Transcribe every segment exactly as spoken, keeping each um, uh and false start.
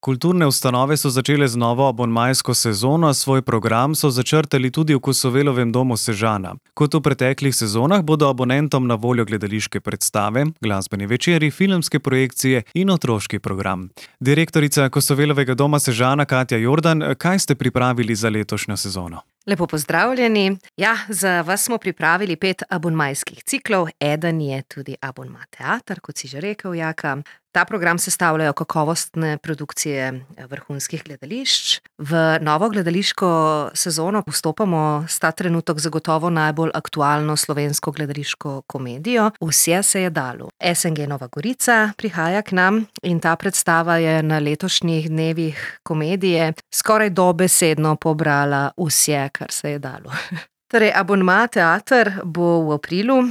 Kulturne ustanove so začele z novo abonmajsko sezono, svoj program so začrtali tudi v Kosovelovem domu Sežana. Kot v preteklih sezonah bodo abonentom na voljo gledališke predstave, glasbeni večeri, filmske projekcije in otroški program. Direktorica Kosovelovega doma Sežana Katja Jordan, kaj ste pripravili za letošnjo sezono? Lepo pozdravljeni. Ja, za vas smo pripravili pet abonmajskih ciklov. Eden je tudi abonma teater, kot si že rekel, Jaka. Ta program sestavljajo kakovostne produkcije vrhunskih gledališč. V novo gledališko sezono vstopamo s ta trenutek zagotovo najbolj aktualno slovensko gledališko komedijo Vse se je dalo. es en ge Nova Gorica prihaja k nam in ta predstava je na letošnjih dnevih komedije skoraj dobesedno pobrala vse, kar se je dalo. Torej, abonma teater bo v aprilu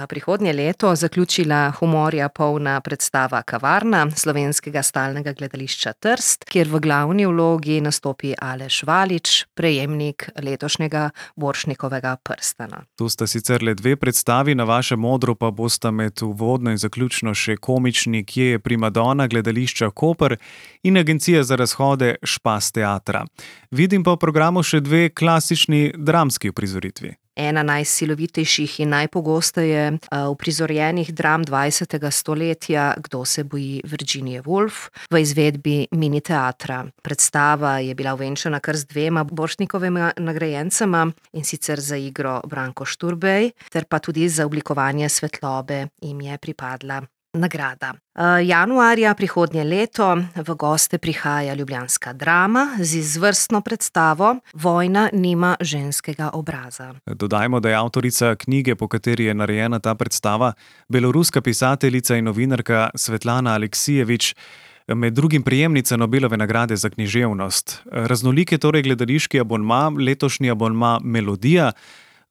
prihodnje leto zaključila humorja polna predstava Kavarna slovenskega stalnega gledališča Trst, kjer v glavni vlogi nastopi Aleš Valič, prejemnik letošnjega Borštnikovega prstana. Tu sta sicer le dve predstavi, na vašem odru pa bosta med uvodno in zaključno še komični Kje je primadona gledališča Koper in Agencija za razhode Špas teatra. Vidim pa v programu še dve klasični dramski uprizoritvi. Ena najsilovitejših in najpogosteje uprizorjenih dram dvajsetega stoletja Kdo se boji Virginije Woolf v izvedbi mini teatra. Predstava je bila ovenčana kar z dvema Borštnikovima nagrajencema, in sicer za igro Branko Šturbej, ter pa tudi za oblikovanje svetlobe jim je pripadla nagrada. Januarja prihodnje leto v goste prihaja ljubljanska Drama z izvrstno predstavo Vojna nima ženskega obraza. Dodajmo, da je avtorica knjige, po kateri je narejena ta predstava, beloruska pisateljica in novinarka Svetlana Aleksijevič, med drugim prejemnica Nobelove nagrade za književnost. Raznolik je torej gledališki abonma, letošnji abonma Melodija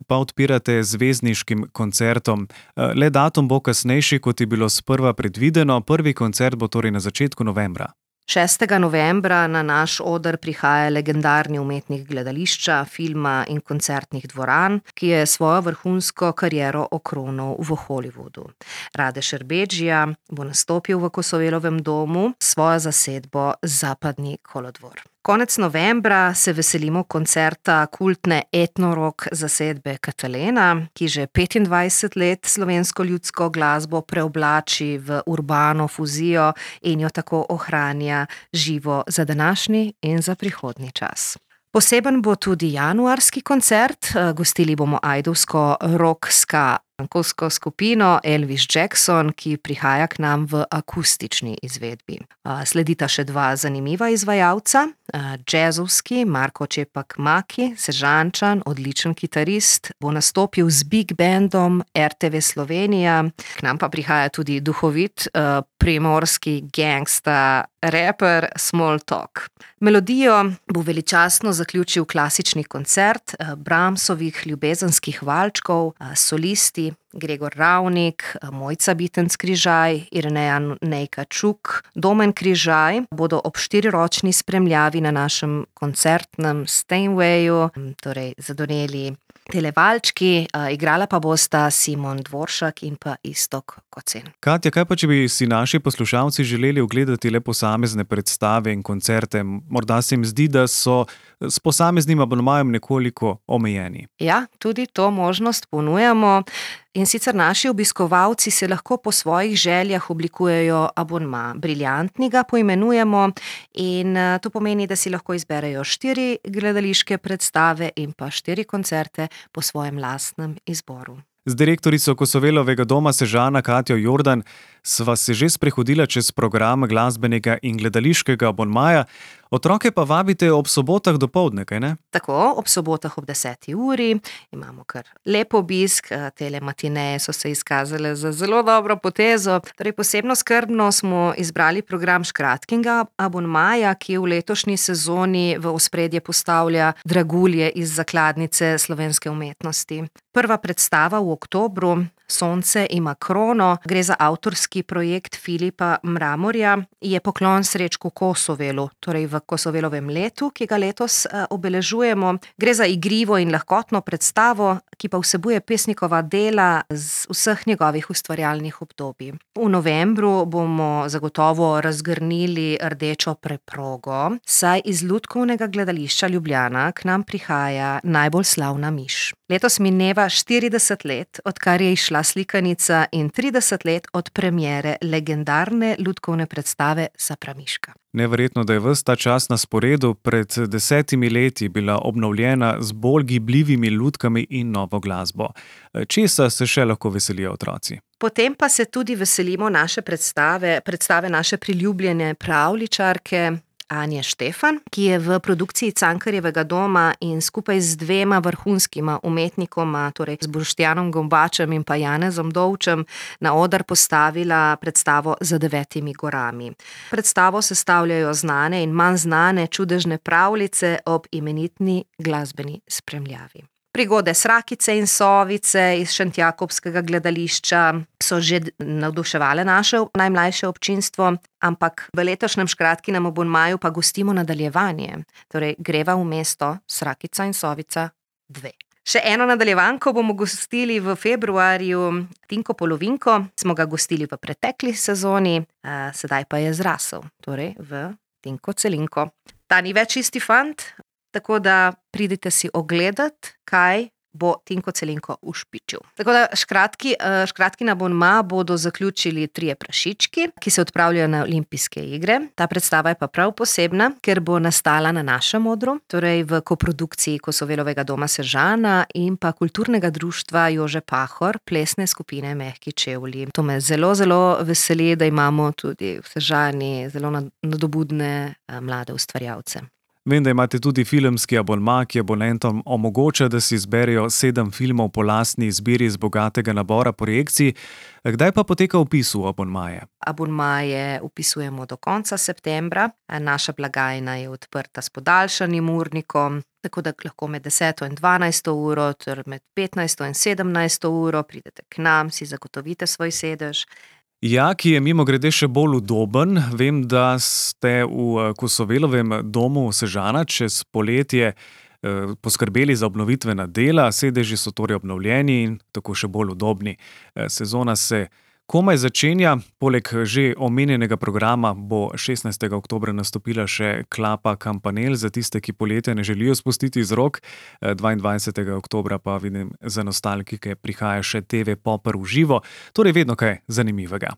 pa odpirate z zvezdniškim koncertom. Le datum bo kasnejši, kot je bilo sprva predvideno. Prvi koncert bo torej na začetku novembra. šestega novembra na naš oder prihaja legendarni umetnik gledališča, filma in koncertnih dvoran, ki je svojo vrhunsko kariero okronal v Hollywoodu. Rade Šerbedžija bo nastopil v Kosovelovem domu svojo zasedbo Zapadni kolodvor. Konec novembra se veselimo koncerta kultne etno-rock zasedbe Katalena, ki že petindvajset let slovensko ljudsko glasbo preoblači v urbano fuzijo in jo tako ohranja živo za današnji in za prihodnji čas. Poseben bo tudi januarski koncert, gostili bomo ajdovsko rock-ska ankovsko skupino Elvis Jackson, ki prihaja k nam v akustični izvedbi. Sledita še dva zanimiva izvajalca, džezovski Marko Čepak Maki, Sežančan, odličen kitarist, bo nastopil z big bandom er te ve Slovenija, k nam pa prihaja tudi duhovit primorski gangsta raper Small Talk. Melodijo bo veličastno zaključil klasični koncert Brahmsovih ljubezenskih valčkov, solisti Gregor Ravnik, Mojca Bitenc Križaj, Irneja Nejka Čuk, Domen Križaj bodo ob štiriročni spremljavi na našem koncertnem Steinwayu, torej zadoneli televalčki, igrala pa bosta Simon Dvoršak in pa Istok Kocen. Katja, kaj pa če bi si naši poslušalci želeli ogledati le posamezne predstave in koncerte? Morda se jim zdi, da so s posameznim abonmajem nekoliko omejeni. Ja, tudi to možnost ponujamo. In sicer naši obiskovalci se lahko po svojih željah oblikujejo abonma. Briljantni ga poimenujemo in to pomeni, da si lahko izberejo štiri gledališke predstave in pa štiri koncerte po svojem lastnem izboru. Z direktorico Kosovelovega doma Sežana Katjo Jordan sva se že sprehodila čez program glasbenega in gledališkega abonmaja. Otroke pa vabite ob sobotah dopoldne, kaj ne? Tako, ob sobotah ob deseti uri imamo kar lep obisk, tele matineje so se izkazale za zelo dobro potezo. Torej, posebno skrbno smo izbrali program škratkinga abonmaja, ki v letošnji sezoni v ospredje postavlja dragulje iz zakladnice slovenske umetnosti. Prva predstava v oktobru Sonce ima krono. Gre za avtorski projekt Filipa Mramorja. Je poklon Srečku Kosovelu, torej v Kosovelovem letu, ki ga letos obeležujemo. Gre za igrivo in lahkotno predstavo, ki pa vsebuje pesnikova dela z vseh njegovih ustvarjalnih obdobij. V novembru bomo zagotovo razgrnili rdečo preprogo, saj iz Lutkovnega gledališča Ljubljana k nam prihaja najbolj slavna miš. Letos mineva štirideset let, odkar je izšla slikanica, in trideset let od premiere legendarne lutkovne predstave Sapramiška. Neverjetno, da je ves ta čas na sporedu. Pred desetimi leti bila obnovljena z bolj gibljivimi lutkami in novo glasbo. Česa se še lahko veselijo otroci? Potem pa se tudi veselimo naše predstave, predstave naše priljubljene pravljičarke Anje Štefan, ki je v produkciji Cankarjevega doma in skupaj z dvema vrhunskima umetnikoma, torej z Boštjanom Gombačem in pa Janezom Dovčem, na oder postavila predstavo Za devetimi gorami. Predstavo sestavljajo znane in manj znane čudežne pravljice ob imenitni glasbeni spremljavi. Prigode Srakice in Sovice iz Šentjakobskega gledališča so že navduševale naše najmlajše občinstvo, ampak v letošnjem Škratkinem abonmaju pa gostimo nadaljevanje. Torej greva v mesto Srakica in Sovica dve. Še eno nadaljevanko bomo gostili v februarju, Tinko Polovinko, smo ga gostili v pretekli sezoni, sedaj pa je zrasel, torej v Tinko Celinko. Ta ni več isti fant, tako da pridite si ogledat, kaj bo Tinko Celinko ušpičil. Tako da škratki, škratkin abonma bodo zaključili Trije prašički, ki se odpravljajo na Olimpijske igre. Ta predstava je pa prav posebna, ker bo nastala na našem odru, torej v koprodukciji Kosovelovega doma Sežana in pa Kulturnega društva Jože Pahor, plesne skupine Mehki čevlji. To me zelo, zelo veseli, da imamo tudi v Sežani zelo nadobudne mlade ustvarjalce. Vem, da imate tudi filmski abonma, ki abonentom omogoča, da si izberejo sedem filmov po lastni izbiri iz bogatega nabora projekcij. Kdaj pa poteka vpis v abonmaje? Abonmaje vpisujemo do konca septembra. Naša blagajna je odprta s podaljšanim urnikom, tako da lahko med deseto in dvanajsto uro, ter med petnajsto in sedemnajsto uro pridete k nam, si zagotovite svoj sedež. Ja, ki je mimogrede še bolj udoben. Vem, da ste v Kosovelovem domu Sežana čez poletje eh, poskrbeli za obnovitvena dela, sedeži so torej obnovljeni in tako še bolj udobni. Eh, sezona se komaj začenja, poleg že omenjenega programa bo šestnajstega oktobra nastopila še Klapa Kampanel za tiste, ki poletja ne želijo spustiti iz rok. dvaindvajsetega oktobra pa vidim za nostalgike prihaja še te ve Popper v živo, torej vedno kaj zanimivega.